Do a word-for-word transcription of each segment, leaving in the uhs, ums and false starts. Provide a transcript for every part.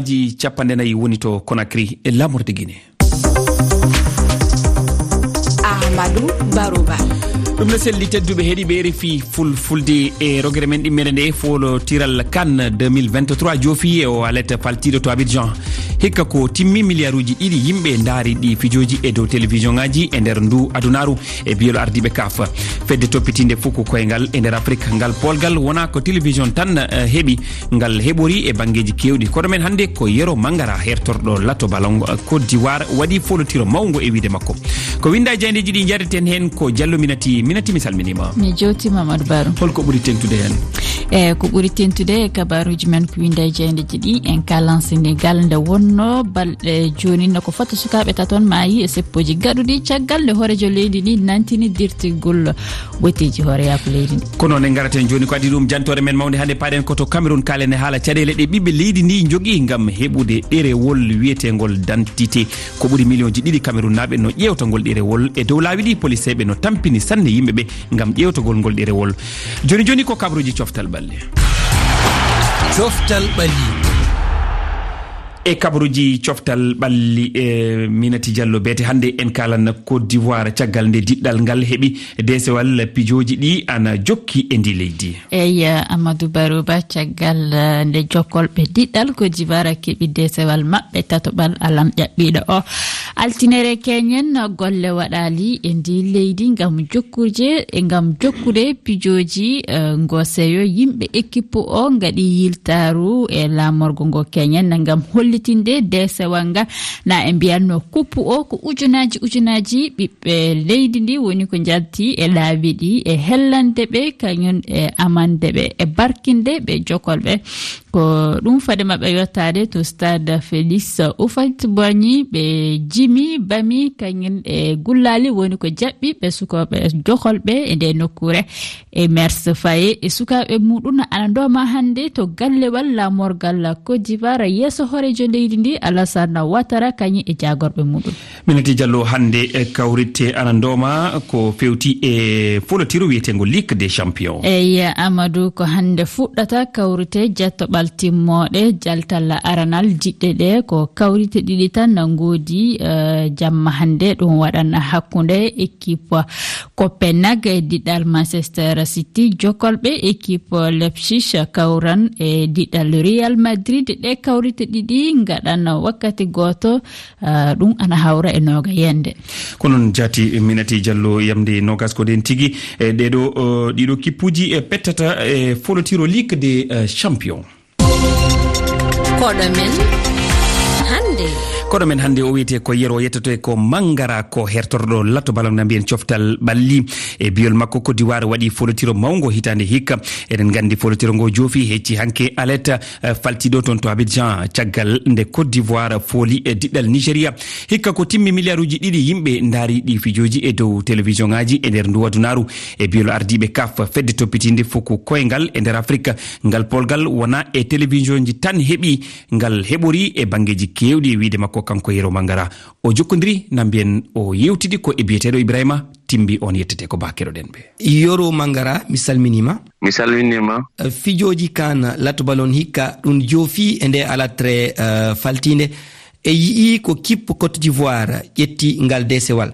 Ji capanɗe nayi woni to Conakry e laamorde Guinée. Amadou Barouba. Ɗum no selli, tedduɓe heɗiiɓe R F I Fulfulde, e rogere men ɗimmere nde, foolotiral CAN deux mille vingt-trois joofi e o alet faltiiɗo to Abidjan. Hikka ko timmi, miliyaruuji ɗiɗi yimɓe ndaari ɗi fijooji e dow télévision ŋaaji e nder ndu adunaaru e biyol ardiiɓe CAF. Fedde toppitiinde fuku koyngal e nder Afrik, ngal polgal wonaa ko télévision tan, eh, heɓi, ngal heɓori e banngeeji keewɗi. Kono men hannde ko Yero Mangara, hertorɗo Lato Ballon, eh, Côte d'Ivoire, waɗi folotiro mawngo e wiyde makko. Ko winnda e jaayndeeji ɗi njaareten heen ko Diallo Minati. Minati, mi salminiima. Mi jootiima, Amadou Baro. Holko ɓuri teŋtude heen? E ko ɓuri teŋtude e kabaaruuji men ko winnda e jaayndeeji ɗi, en kalan Senegal nde wonno balɗe jooni no ko fota sukaaɓe taton maayi e seppooji gaɗuɗi caggal nde hooreejo leydi ndi nantini dirtigol ɓoyteeji hooreyaaku leydi ndi. Ko noon en ngaraten jooni ko adii ɗum jantoore men mawnde hannde, paaɗen ko to Cameroun, kaalen e haala caɗeele ɗe ɓiɓɓe leydi ndi njogii ngam heɓude ɗerewol wiyeteengol d'identité. Ko ɓuri miliyonji ɗiɗi Cameroun naaɓe no ƴeewta ngol ɗerewol. E dow laawi ɗi, poliseeɓe no tampini sanne yimɓe ɓe ngam ƴeewtagol ngol ɗerewol. Jooni jooni ko kabaruuji coftal ɓalli. Coftal ɓalli. E kabaruuji coftal ɓalli, e Minati Diallo Beete, hannde en kalan Côte d'Ivoire caggal nde diɗɗal ngal heɓi deesewal pijooji ɗi ana jokki e ndi leydi. Eyi, Amadou Barouba, caggal, eh, nde jokolɓe diɗɗal Côte d'Ivoire keɓi deesewal maɓɓe tatoɓal alam ƴaɓɓiiɗo o. Altinere keñen, golle waɗaali e ndi leydi ngam jokkude, e ngam jokkude pijooji, eh, ngo seyo. Yimɓe ekippu o ngaɗi yiltaaru e laamorgo ngo keñen ngam hollitinde deesewal ngal. Na e mbiyanno kuppu o ko ujunaaji ujunaaji ɓiɓɓe leydi ndi woni ko njalti e laabi ɗi e hellande ɓe, kañum e amande ɓe e barkinde ɓe jokolɓe. Ko ɗum fade maɓɓe yottaade to stade Félix Houphouët-Boigny, ɓe jimi, bami, kañum e gullaali woni ko jaɓɓi ɓe sukooɓe jokolɓe e nde nokkuure. E Mers Faye e sukaaɓe muɗum ana ndooma hannde to gallewal laamorgal Côte d'Ivoire yeeso hooreejo leydi ndi Alassane Ouattara kañum e jaagorɓe muɗum. Minati Diallo, hannde e kawrite ana ndooma ko fewti e folotiro wiyeteengo Ligue des Champions. Eyi, Amadou, ko hannde fuɗɗata kawrite jettoɓal timmooɗe jaltal aranal diɗɗe ɗe. Ko kawrite ɗiɗi tan na ngoodi, eh, jamma hannde. Ɗum waɗan hakkunde équipe Copenhague e diɗɗal Manchester City, jokolɓe équipe Leipzig kawran e diɗɗal Real Madrid. Ɗe kawrite ɗiɗi ngaɗan wakkati gooto, ah, ɗum ana hawra e nooga yende. Ko noon jaati Minati Diallo, yamde noogas ko ɗen tigi. E ɗeɗo, o, ɗiɗo kippuuji e pettata e folotiro Ligue des, eh, Champions. Koɗo men hannde. Koɗo men hannde o wiyetee ko Yero, yettoto e ko Mangara, ko hertorɗo Lato Ballon na mbiyen coftal ɓalli. E biyol makko, Côte d'Ivoire waɗi folotiro mawngo hitaande hikka. Eɗen nganndi folotiro ngo joofi hecci hanke aleta, eh, faltiiɗo toon to Abidjan, caggal nde Côte d'Ivoire fooli e diɗɗal Nigeria. Hikka ko timmi, miliyaruuji ɗiɗi yimɓe ndaari ɗi fijooji e dow télévision ŋaaji e nder ndu adunaaru. E biyol ardiiɓe CAF, fedde toppitiinde fuku koyngal e nder Afrik, ngal polgal wonaa e télévision ji tan heɓi, ngal heɓori e banngeeji keewɗi, e wiyde makko kanko Yero Mangara. O jokkondiri na mbiyen, o yewtidi ko e biyeteeɗo Ibrahima Timbi, on yettete ko Ba keɗoɗen ɓe. Yero Mangara, mi salminiima. Mi salminiima. Eh, fijooji CAN Lato Ballon hikka ɗum joofi e nde alatre, eh, faltiinde. E yi'i ko kippu Côte d'Ivoire ƴetti ngal deesewal.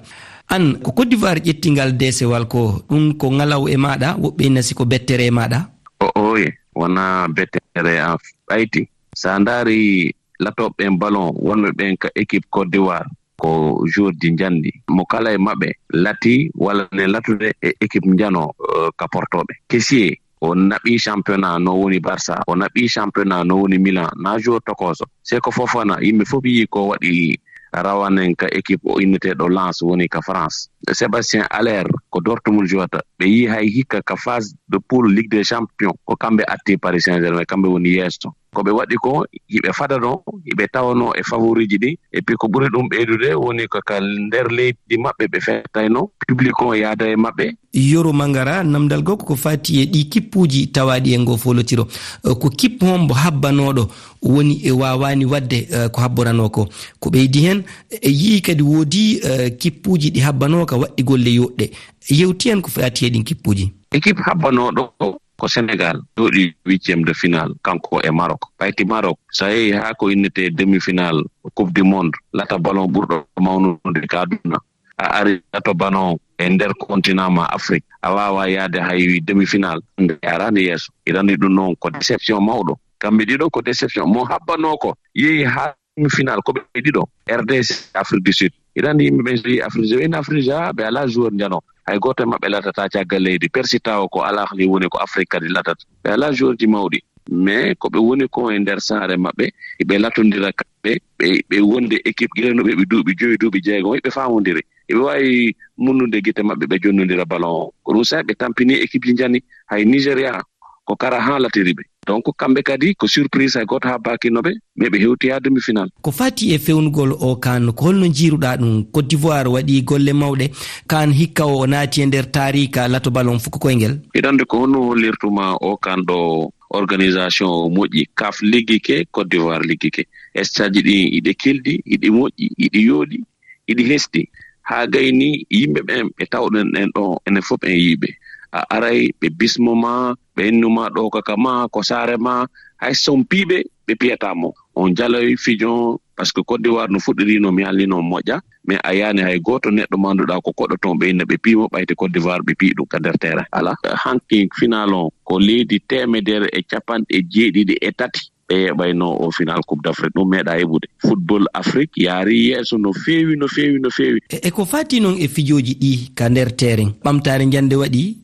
An, ko Côte d'Ivoire ƴetti ngal deesewal ko, ɗum ko ŋalaw e maaɗa, woɓɓe ina si ko bettere e maaɗa? O, oye, wonaa bettere am ɓayti. So a ndaari latooɓe ɓen ballon, wonɓe ɓen ka équipe Côte d'Ivoire, ko joueur ji njanɗi. Mo kala e maɓɓe lati walla ne latude e équipe njano, eh, ka portooɓe. Kessié, o naɓi championnat no woni Barça, o naɓi championnat no woni Milan, na joueur tokooso. Seko Fofana, yimɓe fof yii ko waɗi rawanen ka équipe o inneteeɗo Lens woni ka France. Sébastien Haller ko Dortmund jouata. Ɓe yii hay hikka ka phase de poule Ligue des Champions, ko kamɓe atti Paris Saint-Germain, kamɓe woni yeeso. Ko ɓe waɗi ko, hiɓe fadano, hiɓe tawano e favori ji ɗi. Et puis ko ɓuri ɗum ɓeydude woni ko ka nder leydi maɓɓe ɓe fettayno, public on yaada e maɓɓe. Yoro Mangara, namdal goo ko ko faati e ɗii kippuuji tawaaɗi e ngoo foolotiro. Eh, ko kippu hombo habbanooɗo woni e waawaani waɗde, eh, ko habboranoo ko? Ko ɓeydi heen, e yii kadi woodi, eh, kippuuji ɗi habbanoo ka waɗɗi golle yooɗɗe. Yewti en ko faati e ɗiin kippuuji. Équipe habbanooɗo ko Sénégal jooɗi huitième de finale, kanko e Maroc. Ɓayti Maroc, so a yehi haa ko innetee demi-finale Coupe du Monde, lata ballon ɓurɗo mawnude ka aduna, a ari lato ballon e nder continent ma Afrique, a waawaa yahde hay demi-finale, nde a araani yeeso. Hiɗa anndi ɗum noon ko déception mawɗo. Kamɓe ɗiɗo ko déception. Mo habbanoo ko yehi haa demi-finale ko ɓe ɗiɗo, R D C, Afrique du Sud. Hiɗa anndi yimɓe ɓen so yehi Afrique du Sud, ɓe alaa joueur njano. Hay gooto e maɓɓe latata caggal leydi. Persitawo ko Al Ahli woni, ko Afrique kadi latata. Ɓe alaa joueur ji mawɗi. Mais ko ɓe woni ko e nder saare maɓɓe, ɓe latondira kamɓe, ɓe, ɓe wonde équipe, gila no ɓe, ɓe duuɓi joyi, duuɓi jeegom, ɓe faamondiri. Ɓe waawi munnude gite maɓɓe, ɓe jonnondira ballon o. Ko ɗum sa'i ɓe tampini équipe ji njani, hay Nigeria, ko kara haa latiri ɓe. Donc, kamɓe kadi ko surprise, hay gooto habbaakino ɓe, mais ɓe hewti haa demi-finale. Ko fati e fewnugol o kan, ko holno njiiruɗaa ɗum? Côte d'Ivoire waɗi golle mawɗe, kan hikka o naati e nder taariika lato ballon fuku koyngel. Hiɗa anndi ko honno hollirtuma o kan ɗo organisation o moƴƴi? CAF liggike, Côte d'Ivoire liggike. Stade ji ɗi, iɗi kelɗi, iɗi moƴƴi, iɗi yooɗi, iɗi hesɗi. Haa gayni yimɓe ɓen ɓe tawɗen ɗen ɗo, enen fof en yiiɓe. A aray ɓe bismo ma, ɓe innu ma ɗo kaka ma, ko saare ma, hay so on piiɓe, ɓe piyata mo. On jaloy fijo, parce que Côte d'Ivoire no fuɗɗiri no mi haalni no moƴƴa, mais a yaani hay gooto neɗɗo manduɗa ko koɗo toon ɓe inna ɓe piimo ɓayti Côte d'Ivoire ɓe pii ɗum ka nder terrain. Ala, hanki final on ko leydi teemedere e capanɗe jeeɗiɗi e tati ɓe yeɓayno o final Coupe d'Afrique, ɗum meeɗa heɓude. Football Afrique yaari yeeso no feewi, no feewi, no feewi. E, e ko fati noon e fijooji ɗi ka nder terrain, ɓamtaare njande waɗi?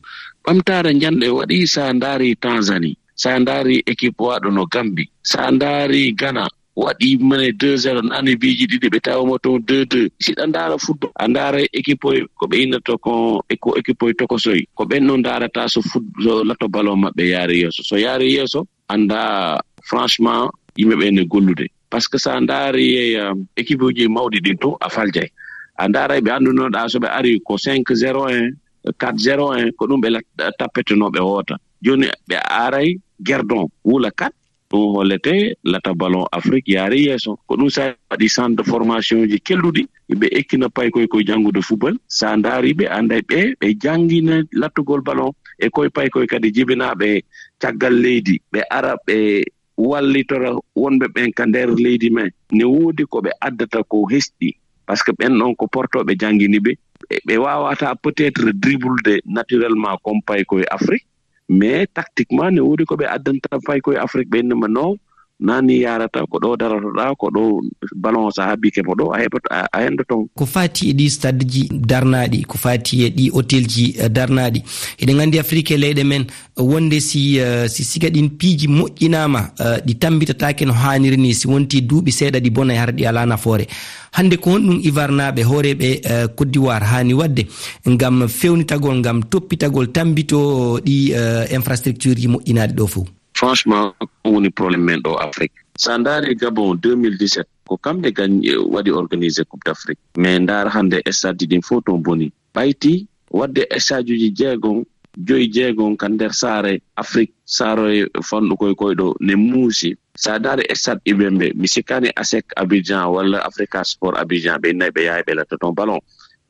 Ɓamtaare njande waɗi, sa ndaari Tanzanie, sa ndaari équipe waɗo no Gambie, sa ndaari Ghana, waɗi mene deux zéro, nani biiji ɗiɗi, ɓe tawa mo toon deux deux. Si ɗa ndaara football, a ndaara équipe oy, ko ɓe innata ko, e ko équipe oy tokosoy. Ko ɓen noon ndaarata so foot-, so lato ballon maɓɓe yaari yeeso. So yaari yeeso, annda, franchement, yimɓe ɓe ne gollude. Parce que sa ndaari, eh, équipe uji mawɗi ɗin to, a faljay. A ndaara ɓe anndunoɗa so ɓe ari ko cinq zéro un, quatre zéro un, ko ɗum ɓe lat-, tappeteno ɓe woota. Jooni ɓe aray gerdon, wula quatre, ɗum hollete lata ballon Afrique yaari yeeso. Ko ɗum sa waɗi centre de formation ji kelɗuɗi, ɓe ekkina paykoy koye janngude football. Sa ndaari ɓe, annday ɓe, ɓe janngina lattugol ballon e koye paykoy kadi jibinaaɓe caggal leydi, ɓe ara ɓe wallitora wonɓe ɓen ka nder leydi men. Ne woodi ko ɓe addata ko hesɗi, parce que ɓen ɗon ko portooɓe janngini ɓe. Ɓe, ɓe waawata peut-être dribble de naturellement comme paykoy Afrique, mais tactiquement ne woodi ko ɓe addanta paykoy Afrique, ɓe innama non, nani yarata, ko ɗo darotoɗa, ko ɗo ballon sa habbike mo ɗo, a heɓoto, a, a hendoto. Ko fati e ɗi stade ji darnaaɗi, ko fati e ɗi hôtel ji, eh, darnaaɗi. Eɗen anndi Afrique e leyɗe men, wonde si, eh, si siga ɗin piiji moƴƴinaama, eh, ɗi tambitataake no haaniri ni, si wonti duuɓi seeɗa ɗi bona e hara ɗi alaa nafoore. Hannde ko honɗum ivarnaaɓe hooreeɓe, eh, Côte d'Ivoire haani waɗde ngam fewnitagol, ngam toppitagol, tambito ɗi, eh, infrastructure ji moƴƴinaaɗi ɗo fof? Franchement, ko woni problème men ɗo Afrique. Sa ndaari Gabon deux mille dix-sept, ko kamɓe gañ-, waɗi organisé Coupe d'Afrique. Mais ndaar hannde stade ji ɗin fof toon boni. Ɓayti waɗde stade uji jeegom, joyi jeegom ka nder saare Afrique, saare fanɗu koye koyɗo ne muusi. Sa ndaari stade Ibembe, mi sikkaani ASEC Abidjan walla Africa Sport Abidjan, ɓe innayi ɓe yahay ɓe latta toon ballon.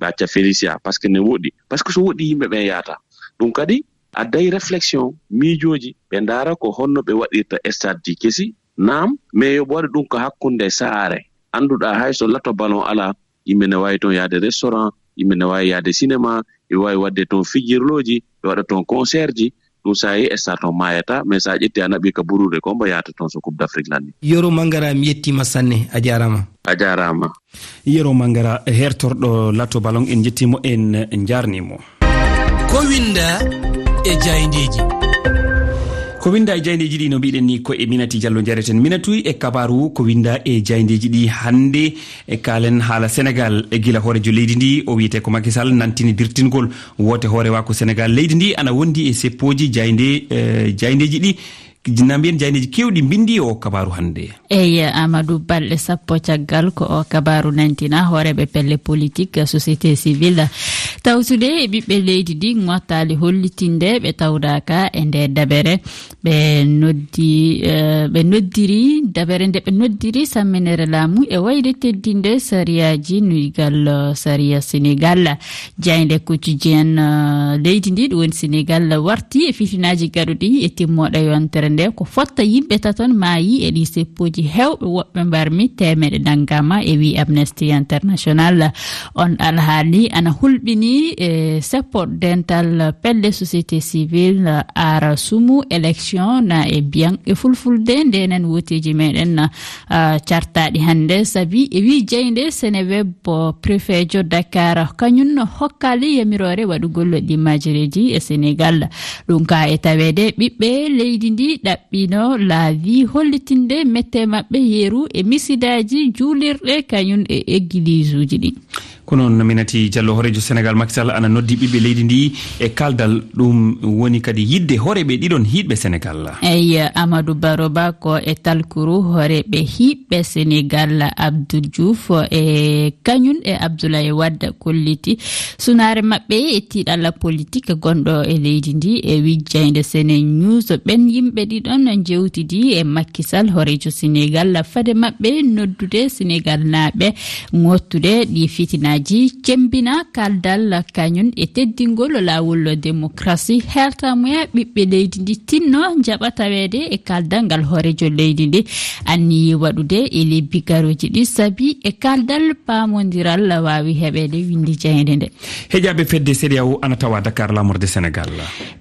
Ɓe acca Felicia, parce que ne woɗɗi. Parce que so woɗɗi yimɓe ɓen yahata. Ɗum kadi adday réflexion, miijooji, ɓe ndaara ko honno ɓe waɗirta stade ji kesi. Naam, mais yo ɓe waɗu ɗum ko hakkunde saare. Annduɗaa hay so lato ballon alaa, yimɓe ne waawi toon yahde restaurant, yimɓe ne waawi yahde cinéma, ɓe waawi waɗde toon fijirlooji, ɓe waɗa toon concert ji. Ɗum sa yehi stade toon maayata, mais sa ƴetti a naɓi ka buruure ko mbo yahata toon so Coupe d'Afrique lanni. Yoro Mangara, mi yettima sanne, a jaarama. A jaarama. Yero Mangara, hertorɗo lato ballon, en jettimo, en njarnimo. Ko winda e jayndeji. Ko winda e jayndeji ɗi, no mbiɗen ni, ko e Minati Diallo jareten. Minatu, e kabaru ko winda e jayndeji ɗi hannde, e kaalen haala Sénégal. E gila hoorejo leydi ndi, o wiyete ko Macky Sall, nantini dirtingol woote hoorewa ko Sénégal. Leydi ndi ana wondi e seppoji jaynde, eh, jayndeji ɗi. Na mbiyen jayndeji kewɗi mbindi o kabaru hannde. Eyi, Amadou, balɗe sappo caggal ko o kabaru nantina, hooreɓe pelle politique, société civile, Tawtude e ɓiɓɓe leydi ndi ŋottaali hollitinde ɓe tawdaaka e nde dabere. Ɓe noddi, eh, ɓe noddiri, dabere nde ɓe noddiri samminere laamu e wayde teddinde sariyaaji nuygal, eh, sariya Senegal. Jaaynde quotidien, eh, leydi ndi, ɗum woni Senegal, warti e fitinaaji gaɗuɗi e timmooɗe yontere nde. Ko fotta yimɓe taton maayi e ɗi seppooji heewɓe, woɓɓe mbarmi teemeɗe nanngama e wi Amnesty International. On alhaali ana hulɓini e seppo dental pelle société civile, ara sumu élection na e biyan e fulfulde ndenen woteji meɗen, ah, cartaɗi hannde sabi e wi jeynde Seneweb, préfet jo Dakar kañum no hokkali yamirore waɗugol ɗi majireji e Senegal. Ɗum ka e tawede ɓiɓɓe leydi ndi ɗaɓɓino laawi hollitinde mette maɓɓe yeru e misidaji juulirɗe kañum e egiliisuji ɗi. Ko noon, Minati Diallo, hooreejo Senegal Macky Sall ana noddi ɓiɓɓe leydi ndi e kaaldal, ɗum woni kadi yiɗde hooreeɓe ɗiɗon hiiɗɓe Senegal. Eyi, Amadou Baroba ko e talkuru hooreeɓe hiiɓɓe Senegal, Abdou Diouf e kañum e Abdoulaye Wade kolliti sunaare maɓɓe e tiiɗalla politique gonɗo e leydi ndi e wi jeynde Sene News. Ɓen yimɓe ɗiɗon jewtidi e Macky Sall, hooreejo Senegal, fade maɓɓe noddude Senegal naaɓe ŋottude ɗi fitinaaji, cembina kaaldal kañum e teddingol laawol démocratie, hertamuya ɓiɓɓe leydi ndi tinno njaɓa taweede e kaaldal ngal hooreejo leydi ndi anniyi waɗude e lebbi garooji ɗi, sabi e kaaldal paamondiral waawi heɓeede, winndi jeynde nde. Heƴaaɓe fedde CEDEAO ana tawa Dakar, laamorde Senegal.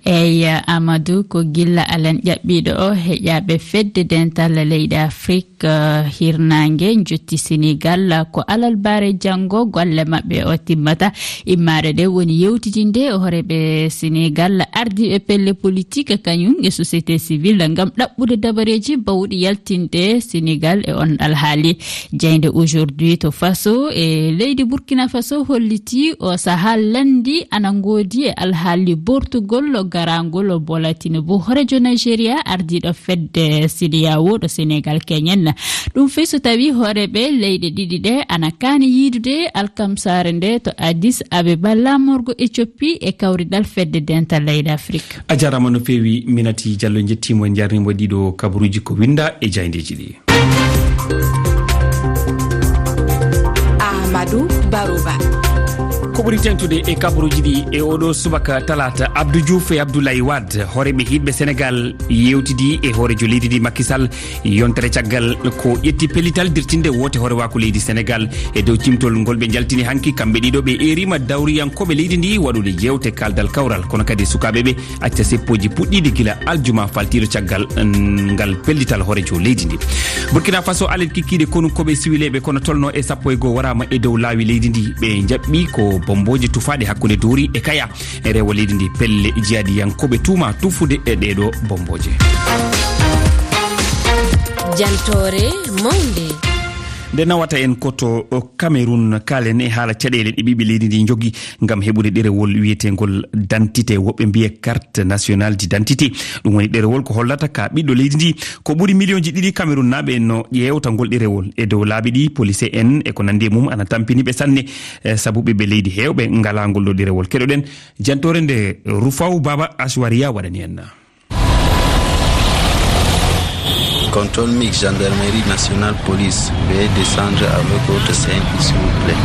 Eyi, Amadou, ko gilla alan ƴaɓɓiiɗo o heƴaaɓe fedde dental leyɗe Afrik, eh, hirnaange njotti Senegal, ko alarba janngo golle maɓɓe o timmata. Immaare nde woni yewtidinde hooreeɓe Senegal, ardiiɓe pelle politique kañum e société civile ngam ɗaɓɓude dabareeji bawɗi yaltinde Senegal e on alhaali. Jeynde Aujourd'hui to Faso e leydi Burkina Faso holliti o saha lanndi ana ngoodi e alhaali bortugol garangol Bola Tinubu, hooreejo Nigeria, ardiiɗo fedde CEDEAO ɗo Senegal keñen. Ɗum fii so tawi hooreeɓe leyɗe ɗiɗi ɗe ana kaani yiidude alkamsaare nde to Addis Abeba, laamorgo Ethiopie e kawridal fedde dental leyɗe Afrik. A jaaraama no feewi, Minati Diallo, njettiima, en njaarniima ɗiɗo kabaruuji ko winnda e jaayndeeji ɗi. Amadou Barouba. Ko ɓuri teeŋtude e kabaruuji ɗi e oɗo subaka talaata, Abdou Diouf e Abdoulaye Wade, hooreeɓe hiiɗɓe Senegal, yewtidi e hooreejo leydi ndi Macky Sall yontere caggal ko ƴetti pellital dirtinde woote hoorewaaku leydi Senegal. E dow cimtol ngol ɓe njaltini hanki, kamɓe ɗiɗo ɓe eeriima dawriyankooɓe leydi ndi waɗude jeewte kaaldal kawral, kono kadi sukaaɓe ɓe acca seppooji puɗɗiiɗi gila aljuma faltiiɗo caggal, mm, ngal pellital hooreejo leydi ndi. Burkina Faso, alet kikkiiɗe konunkooɓe siwileeɓe kono tolno e sappo e goo waraama e dow laawi leydi ndi. Ɓe njaɓɓi ko bommbooje tufaaɗe hakkunde Dori e Kaya e rewo leydi ndi. Pelle jihaadiyankooɓe tuuma tufude e ɗeeɗo bommbooje. Jantoore mawnde. Nde nawata en ko to Cameroun, kaalen e haala caɗeele ɗe ɓiɓɓe leydi ndi njogi ngam heɓude ɗerewol wiyeteengol d'identité, woɓɓe mbiya carte nationale d'identité. Ɗum woni ɗerewol ko hollata ka ɓiɗɗo leydi ndi. Ko ɓuri miliyonji ɗiɗi Cameroun naaɓe no ƴeewta ngol ɗerewol e dow laabi ɗi. Police en e ko nandi e mum ana tampini ɓe sanne, eh, sabu ɓiɓɓe leydi heewɓe ngalaa ngol ɗo ɗerewol. Keɗoɗen jantoore nde Rufaw Baba Ashwariya waɗani en. Contrôle mix gendarmerie nationale police, veuillez descendre avec votre simple, s'il vous plaît.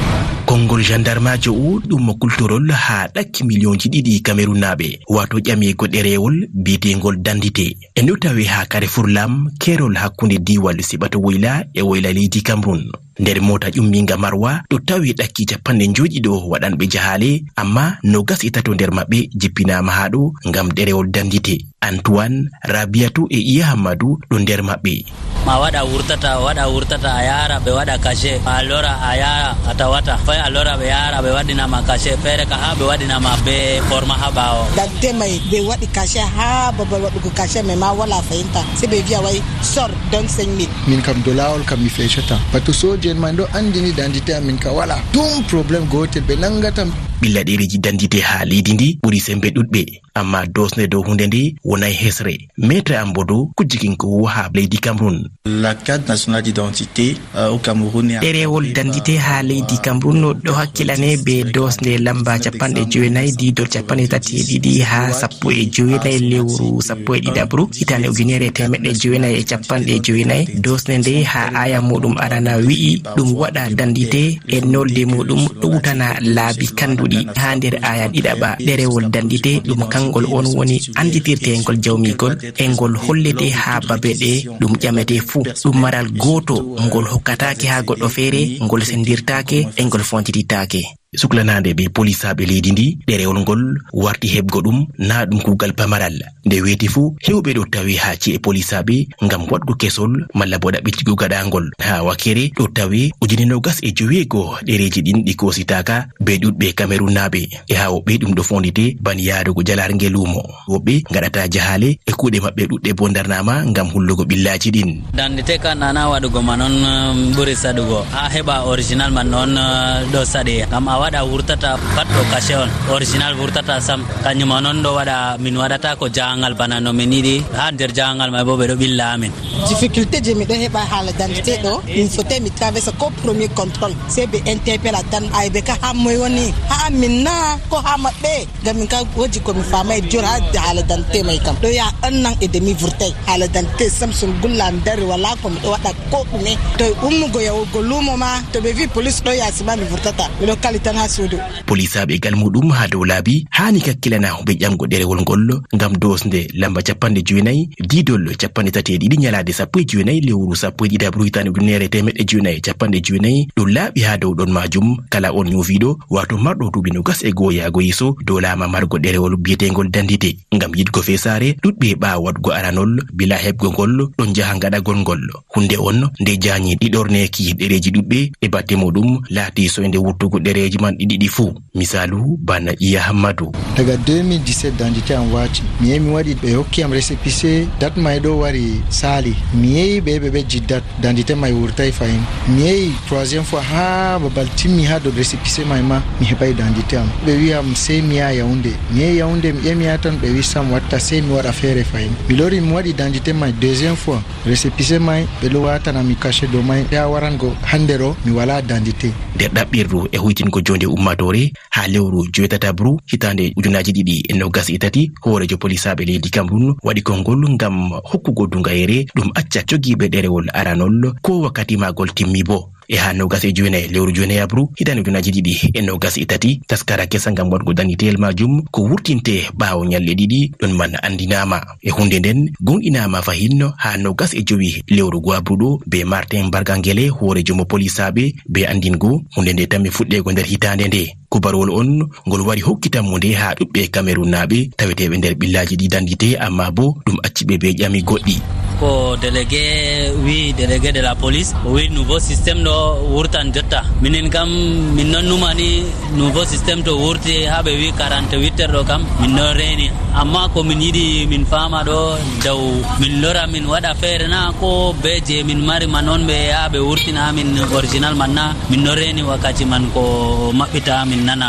Konngol jandarmaajo o, ɗum mo kultorol haa ɗakki miliyonji ɗiɗi Kamerunaaɓe, wato ƴamigo ɗereewol biyeteengol d'identité. E ndu tawi haa Carrefour Lam, keerol hakkunde diiwal Siɓato Woyla e Woyla leydi Cameroun. Nder moota ƴummiinga Marwa, ɗo tawi ɗakki capanɗe njoyɗiɗo waɗanɓe jahaale, amma noogas e tato nder maɓɓe jippinaama haa ɗo ngam ɗerewol d'identité. Antoine, Rabiatu e Iya Hammadu ɗo nder maɓɓe. Ma waɗa wurtata, waɗa wurtata, a yaara ɓe waɗa cachet, a lora a yaara a tawata. Fay a lora ɓe yaara ɓe waɗina ma cachet, feere ka haa ɓe waɗina ma be forma haa ɓaawo. D'identité may ɓe waɗi cachet haa babal waɗugo cachet, mais ma wala fahimta. Se ɓe vi'a way sor don cinq mille. Min kam do laawol kam mi fecata. Par ce que sooje en man ɗo anndini d'identité am min ka wala. Ɗum problème gootel ɓe nanngatam. Ɓilla ɗereeji dantite haa leydi ndi ɓuri semmbe ɗuɗɓe. Amma doosnde dow huunde nde wonay hesre. Maître Ambodo, kujjikinko wo haa leydi Cameroun. La carte nationale d'identité, euh, au Cameroun est en train de... Ɗerewol dantite haa leydi Cameroun no ɗo hakkilane be doosnde lamba capanɗe jeenayi, diidol capanɗe tati e ɗiɗi haa sappo e jeenayi, lewru sappo e ɗiɗaɓru, hitaande ujunere e teemeɗɗe jeenayi e capanɗe jeenayi. Doosnde nde haa aya muɗum arana wi'i ɗum waɗa dantite e nolde muɗum ɗowtana laabi kanduɗi. Haa nder aya ɗiɗaɓa, ɗerewol dantite ɗum kangol on woni anditirtengol jawmigol e ngol hollete haa babe ɗe ɗum ƴamete fuu. Ɗum maral gooto ngol hokkataake haa goɗɗo feere, ngol sendirtaake e ngol fontititaake. Suklanaande be polisaaɓe leydi ndi, ɗerewol ngol warti heɓgo ɗum, naa ɗum kuugal pamaral. Nde weeti fuu, heewɓe ɗo tawi haa ci'e polisaaɓe ngam waɗgo kesol malla bo ɗaɓɓitigo gaɗaangol. Haa wakere ɗo tawi ujine noogas e joweego ɗereeji ɗin ɗi koositaaka be ɗuɗɓe Kamerunnaaɓe. E haa woɓɓe ɗum ɗo fondite ban yaarugo jalaarnge luumo. Woɓɓe ngaɗata jahaale e kuuɗe maɓɓe ɗuɗɗe bo ndarnaama ngam hullugo ɓillaaji ɗin. Dantite ka nana waɗugo ma non, um, ɓuri saɗugo. Haa heɓa original man non, uh, ɗo saɗi. Ngam a waɗa wurtata pat ɗo cachet on. Original wurtata sam. Kanjum ma non ɗo waɗa min waɗata ko jahangal bana no min yiɗi. Haa nder jahangal may bo ɓe ɗo ɓilla amin. Difficulté je miɗo heɓa haala dantite ɗo, min fotai mi traversa ko premier contrôle. Sey ɓe interpella tan, ay ɓe ka haa moy woni? Haa min na ko haa maɓɓe? Ngam min ka woodi ko mi faamay jur haa haala dantite may kam. Ɗo ya un an e demi vurtay. Haala dantite sam sun gulla mi dari wala ko miɗo waɗa ko ɗume. To ummugo yahugo luumo ma, to ɓe vi police ɗo yaasi ma mi vurtata. Miɗo kali tan haa suudu. Polisaaɓe gal muɗum haa dow laabi haani kakkilana be ƴamgo ɗerewol ngol ngam doosnde lamba capanɗe jeenayi, diidol capanɗe tati e ɗiɗi, nyalaade sappo e jeenayi lewru sappo e ɗiɗaɓru hitaande ujunere e teemeɗɗe jeenayi e capanɗe jeenayi. Ɗum laaɓi haa dow ɗon maajum, kala on nyoofiiɗo, waato marɗo duuɓi noogas e go'o yaago yeeso, doolaama margo ɗerewol biyeteengol dantite. Ngam yiɗgo feesaare, ɗuɗɓe ɓaawo waɗgo aranol, bila heɓgo ngol, ɗon njaha ngaɗagol ngol. Huunde on nde jaanyi ɗiɗorneeki ɗereeji ɗuɗɓe e batte muɗum laati soynde wurtugo ɗereeji man ɗiɗi ɗi fuu. Misaalu, bana Iya Hammadu. Daga deux mille dix-sept dantite am waati. Mi yehi mi waɗi, ɓe hokki am récépissé, date may ɗo wari saali. Mi yehi ɓe, ɓe ɓe jiddat, dantite may wurtay fahin. Mi yehi troisième fois haa babal timmi haa dow récépissé may ma, mi heɓay dantite am. Ɓe wi am sey mi yaha Yaoundé. Mi yehi Yaoundé, mi ƴami haa ton, ɓe wi sam watta, sey mi waɗa feere fahin. Mi lori mi waɗi dantite may deuxième fois. Récépissé may, ɓe ɗo waatana mi cachet dow may, haa warango hannde ɗo, mi walaa dantite. Nder ɗaɓɓirdu e huytingo joonde ummaatoore, haa lewru joweetataɓru, hitaande ujunaaji ɗiɗi e noogas e tati, hooreejo polisaaɓe leydi Cameroun waɗi konngol ngam hokkugo duŋayere ɗum acca jogiiɓe ɗerewol aranol, ko wakkati maagol timmi bo. E haa noogas e jowenayi lewru jowenayaɓru, hitaande ujunaaji ɗiɗi e noogas e tati, taskara kesa ngam waɗgo dantiteyel maajum ko wurtinte ɓaawo nyalɗe ɗiɗi, ɗon man anndinaama. E huunde nden, gooŋɗinaama fahin haa noogas e jowi lewru go'aɓru ɗo be Martin Bargangele, hooreejo mo polisaaɓe, be anndingo huunde nde tammi fuɗɗeego nder hitaande nde. Kubarwol on ngol wari hokkitammunde haa ɗuɗɓe Kamerunnaaɓe taweteeɓe nder ɓillaaji ɗi dantite, ammaa bo ɗum acci ɓe be ƴami goɗɗi. Ko délégué wi, délégué de la police, o wi nouveau système ɗo wurtan jotta. Minin kam, min non numani nouveau système to wurti haa ɓe wi quarante-huit heures ɗo kam, min ɗon reeni. Amma ko min yiɗi min faama ɗo, daw min lora min waɗa feere na, ko be je min mari ma non ɓe yaha ɓe wurtina min original man na? Min ɗo reeni wakkati man ko maɓɓita min nana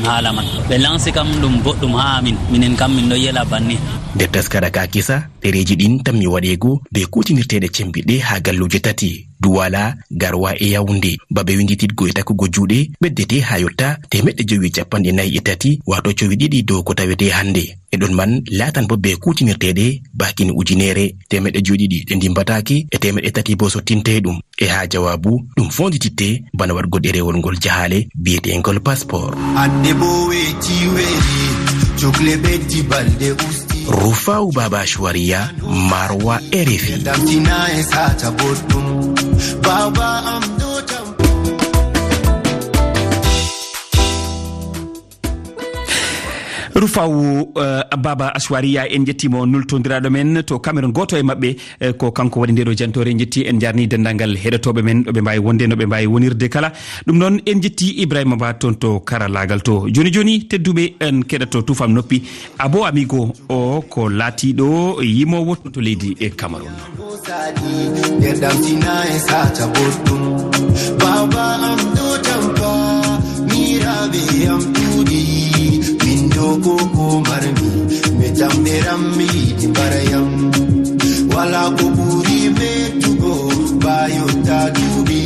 haala man. Ɓe lansi kam ɗum boɗɗum haa min, minin kam min ɗo yela banni. Nder taskara ka kisa, ɗereeji ɗin tammi waɗeego be kuutinirteeɗe cembiɗɗe haa galluuje tati, Duwala, Garwa e Yaoundé. Babe winndititgo e takkugo juuɗe ɓeddete haa yotta teemeɗɗe jowi e capanɗe nayi e tati, waato cowi ɗiɗi dow ko tawetee hannde. E ɗon man laatan bo be kuutinirteeɗe baakin ujineere, teemeɗɗe jowi ɗiɗi ɗe ndimmbataake e teemeɗɗe tati bo sottintee ɗum. E haa jawaabu, ɗum foondititte bana waɗgo ɗereewol ngol jahaale biyeteengol passeport. Hannde bo weeti weeti, cokle ɓeddi balɗe usti. Rufaw Baba Ashwariya, Marwa, R F I. Damtina e saata boɗɗum. Baba am ɗo tam. Rufaw, eh, Baba Ashwariya, en njettiimo, nultondiraaɗo men to Cameroun, gooto e maɓɓe, eh, ko kanko waɗi ndeɗo jantoore. En njetti, en njarni denndaangal heɗotooɓe men, ɗo ɓe mbaawi wonde, no ɓe mbaawi wonirde kala. Ɗum noon, en njetti Ibrahima Ba toon to karallaagal to. Jooni jooni, tedduɓe, en keɗoto Tuufam Noppi. Abo Amigo o ko laatiiɗo yimoowo to leydi e Cameroun. Nder damtina e saata boɗɗum. Baba am ɗo tampa, miiraaɓe am ɗuuɗi. Rammi di barayam. Wala ko ɓuri mettugo, bayo ta duuɓi,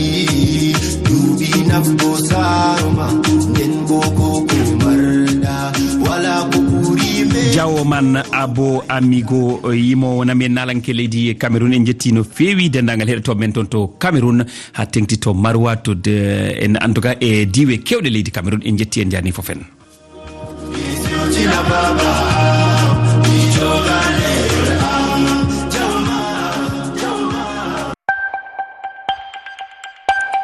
duuɓi nafgo saaro ma, nden bo ko ko marɗa. Wala ko ɓuri me- Jawo man Abo Amigo, yimoowo nami en naalanke leydi Cameroun. En njetti no feewi denndaangal heɗotooɓe men toon to Cameroun, haa teŋti to Maroua, to de, en, en tout cas, e diiwe keewɗe leydi Cameroun. En njetti, en njaarni fof en.